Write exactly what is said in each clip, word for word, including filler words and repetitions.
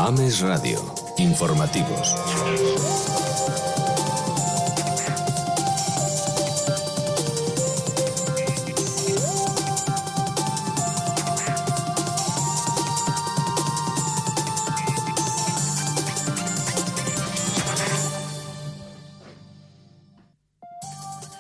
Ames Radio. Informativos.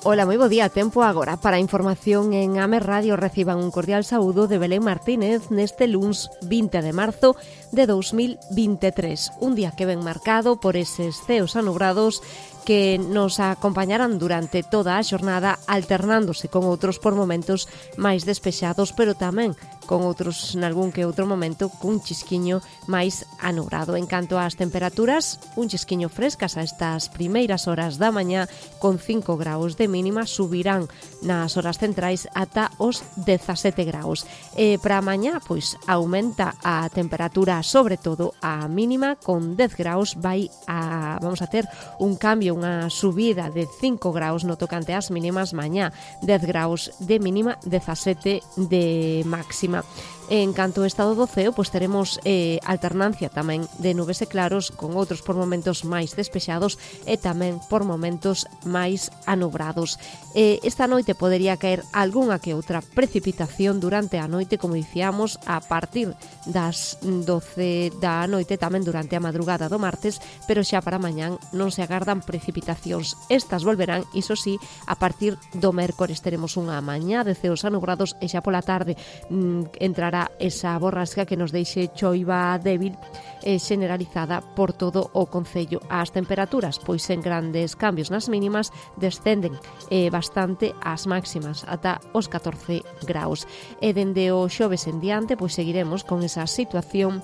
Ola, moi bo día, tempo agora para a información en Ames Radio. Reciban un cordial saúdo de Belén Martínez neste luns vinte de marzo de dous mil vinte e tres. Un día que ven marcado por eses ceos anubrados que nos acompañarán durante toda a xornada, alternándose con outros por momentos máis despexados, pero tamén con outros nalgún que outro momento cun chisquiño máis anubrado. En canto ás temperaturas, un chisquiño frescas a estas primeiras horas da mañá, con cinco graus de mínima, subirán nas horas centrais ata os dezasete graus. E para a mañá, pois, aumenta a temperatura, sobre todo a mínima, con dez graus, vai a, vamos a ter un cambio, unha subida de cinco graus no tocante ás mínimas mañá, dez graus de mínima, dezasete de máxima. En canto ao estado do ceo, pois teremos eh, alternancia tamén de nubes e claros, con outros por momentos máis despexados e tamén por momentos máis anubrados. Eh, esta noite podería caer algunha que outra precipitación durante a noite, como dicíamos, a partir das doce da noite, tamén durante a madrugada do martes, pero xa para mañán non se agardan precipitacións. Estas volverán, iso sí, a partir do mércores. Teremos unha mañá de ceos anubrados e xa pola tarde mmm, entrará esa borrasca que nos deixe choiva débil e generalizada por todo o concello. As temperaturas, pois sen grandes cambios nas mínimas, descenden eh, bastante as máximas ata os catorce graus. E dende o xoves en diante, pois seguiremos con esa situación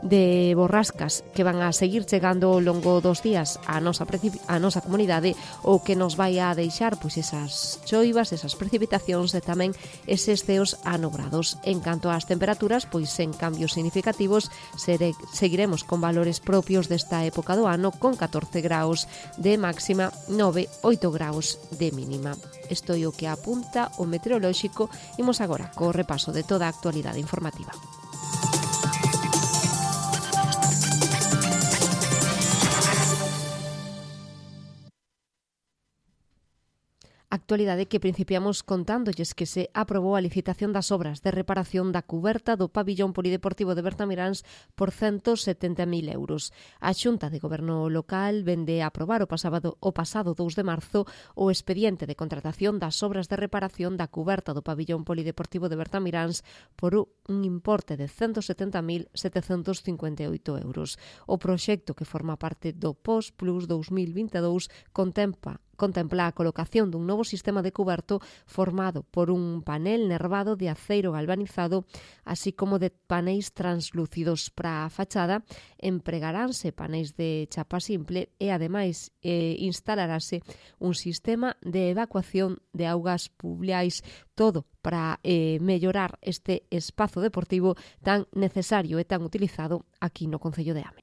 de borrascas que van a seguir chegando ao longo dos días a nosa, a nosa comunidade, o que nos vai a deixar pois esas choivas, esas precipitacións e tamén eses ceos anubrados. En canto ás temperaturas, pois sen cambios significativos, sere, seguiremos con valores propios desta época do ano, con catorce graus de máxima, nove, oito graus de mínima. Isto é o que apunta o meteorolóxico. Imos agora co repaso de toda a actualidade informativa. Actualidade que principiamos contándolles que se aprobou a licitación das obras de reparación da cuberta do pabillón polideportivo de Bertamiráns por ciento setenta mil euros. A Xunta de Goberno Local vende a aprobar o pasado, o pasado dous de marzo o expediente de contratación das obras de reparación da cuberta do pabillón polideportivo de Bertamiráns por un importe de ciento setenta mil setecentos cincuenta e oito euros. O proxecto, que forma parte do P O S Plus dous mil vinte e dous, contempla contempla a colocación dun novo sistema de cuberto formado por un panel nervado de aceiro galvanizado, así como de paneis translúcidos. Para a fachada empregaránse paneis de chapa simple e, ademais, eh, instalarase un sistema de evacuación de augas pluviais, todo para eh, mellorar este espazo deportivo tan necesario e tan utilizado aquí no concello de Ame.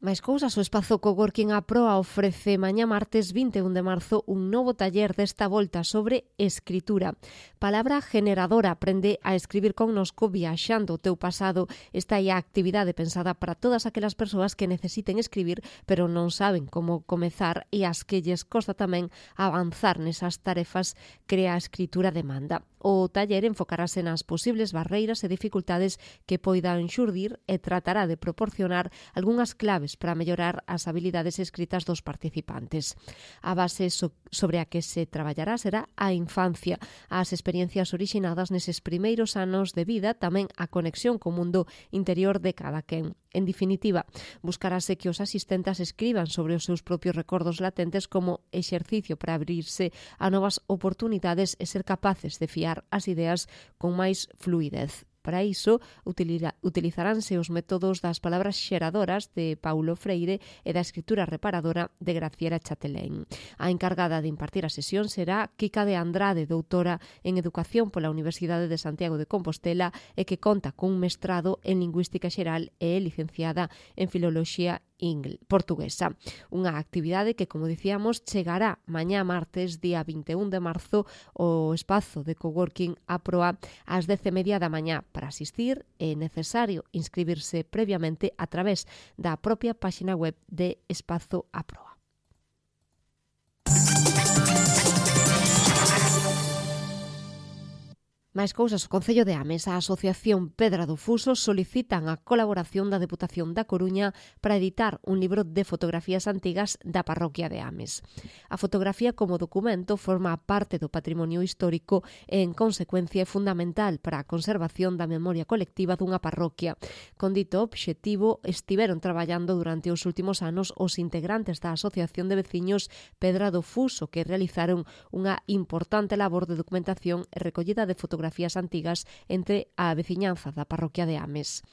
Mais cousas, o espazo Coworking A Proa ofrece mañá martes vinte e un de marzo un novo taller desta volta sobre escritura. Palabra generadora, aprende a escribir connosco viaxando o teu pasado. Esta é a actividade pensada para todas aquelas persoas que necesiten escribir pero non saben como comezar e as que lles costa tamén avanzar nesas tarefas que a escritura demanda. O taller enfocarase nas posibles barreiras e dificultades que poidan xurdir e tratará de proporcionar algunhas claves para mellorar as habilidades escritas dos participantes. A base so- sobre a que se traballará será a infancia, as experiencias orixinadas neses primeiros anos de vida, tamén a conexión co mundo interior de cada quen. En definitiva, buscarase que os asistentes escriban sobre os seus propios recordos latentes como exercicio para abrirse a novas oportunidades e ser capaces de fiar as ideas con máis fluidez. Para iso, utilizaránse os métodos das palabras xeradoras de Paulo Freire e da escritura reparadora de Graciela Chatelain. A encargada de impartir a sesión será Kika de Andrade, doutora en Educación pola Universidade de Santiago de Compostela e que conta cun mestrado en Lingüística Xeral e é licenciada en Filoloxía portuguesa. Unha actividade que, como dicíamos, chegará mañá martes, día vinte e un de marzo, ao espazo de coworking Aproa ás dez e media da mañá. Para asistir é necesario inscribirse previamente a través da propia páxina web de Espazo Aproa. Máis cousas, o Concello de Ames, a Asociación Pedra do Fuso solicitan a colaboración da Deputación da Coruña para editar un libro de fotografías antigas da parroquia de Ames. A fotografía como documento forma parte do patrimonio histórico e, en consecuencia, é fundamental para a conservación da memoria colectiva dunha parroquia. Con dito obxectivo, estiveron traballando durante os últimos anos os integrantes da Asociación de Veciños Pedra do Fuso, que realizaron unha importante labor de documentación e recollida de fotografías fotografías antigas entre a veciñanza da parroquia de Ames.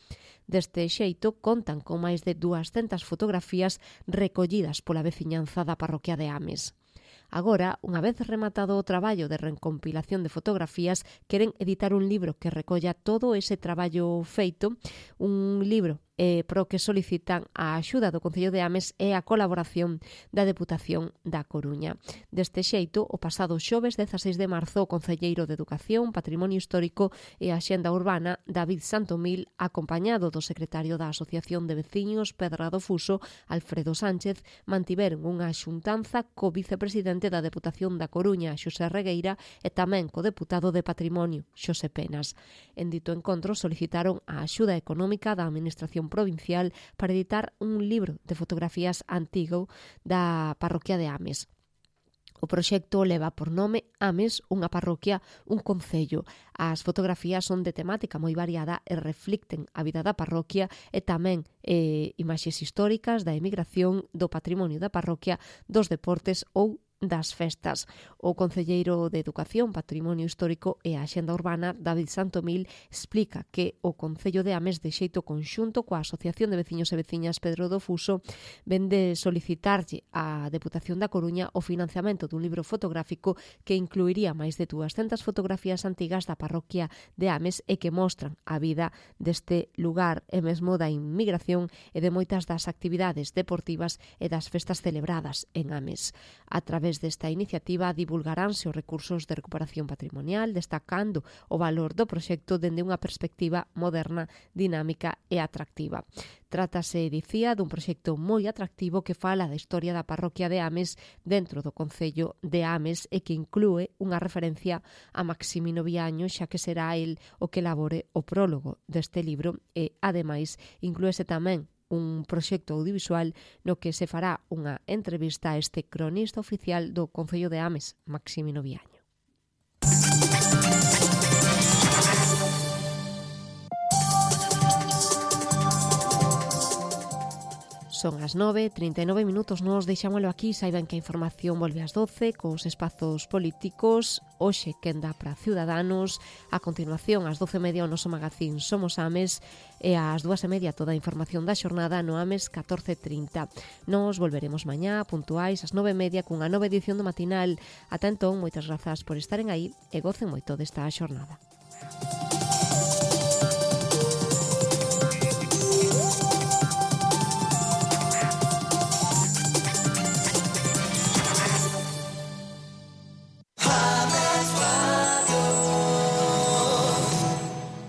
Deste xeito, contan con máis de duascentas fotografías recollidas pola veciñanza da parroquia de Ames. Agora, unha vez rematado o traballo de recompilación de fotografías, queren editar un libro que recolla todo ese traballo feito, un libro eh, pro que solicitan a axuda do Concello de Ames e a colaboración da Deputación da Coruña. Deste xeito, o pasado xoves dezaseis de marzo, o Concelleiro de Educación, Patrimonio Histórico e Axenda Urbana, David Santomil, acompañado do secretario da Asociación de Veciños Pedra do Fuso, Alfredo Sánchez, mantiveron unha xuntanza co vicepresidente da Deputación da Coruña, Xosé Regueira, e tamén co deputado de Patrimonio, Xosé Penas. En dito encontro solicitaron a axuda económica da Administración Provincial para editar un libro de fotografías antigo da parroquia de Ames. O proxecto leva por nome Ames, unha parroquia, un concello. As fotografías son de temática moi variada e reflicten a vida da parroquia e tamén eh, imaxes históricas da emigración, do patrimonio da parroquia, dos deportes ou das festas. O concelleiro de Educación, Patrimonio Histórico e a Axenda Urbana, David Santomil, explica que o Concello de Ames, de xeito conxunto coa Asociación de Veciños e Veciñas Pedro do Fuso, vende solicitarlle á Deputación da Coruña o financiamento dun libro fotográfico que incluiría máis de duascentas fotografías antigas da parroquia de Ames e que mostran a vida deste lugar e mesmo da inmigración e de moitas das actividades deportivas e das festas celebradas en Ames. A través desta iniciativa divulgaránse os recursos de recuperación patrimonial, destacando o valor do proxecto dende unha perspectiva moderna, dinámica e atractiva. Trátase, dicía, dun proxecto moi atractivo que fala da historia da parroquia de Ames dentro do Concello de Ames e que inclúe unha referencia a Maximino Viaño, xa que será el o que elabore o prólogo deste libro e, ademais, inclúese tamén un proxecto audiovisual no que se fará unha entrevista a este cronista oficial do Concello de Ames, Maximino Viaño. Son as nove e trinta e nove minutos, nos deixámoslo aquí. Saiban que a información volve ás doce cos espazos políticos. Hoxe quenda para Ciudadanos. A continuación, ás doce e media, o noso magazín Somos Ames e ás dúas e media toda a información da xornada no Ames catorce trinta. Nos volveremos mañá puntuais ás nove e media cunha nova edición do matinal. Ata entón, moitas grazas por estaren aí e gocen moito desta xornada.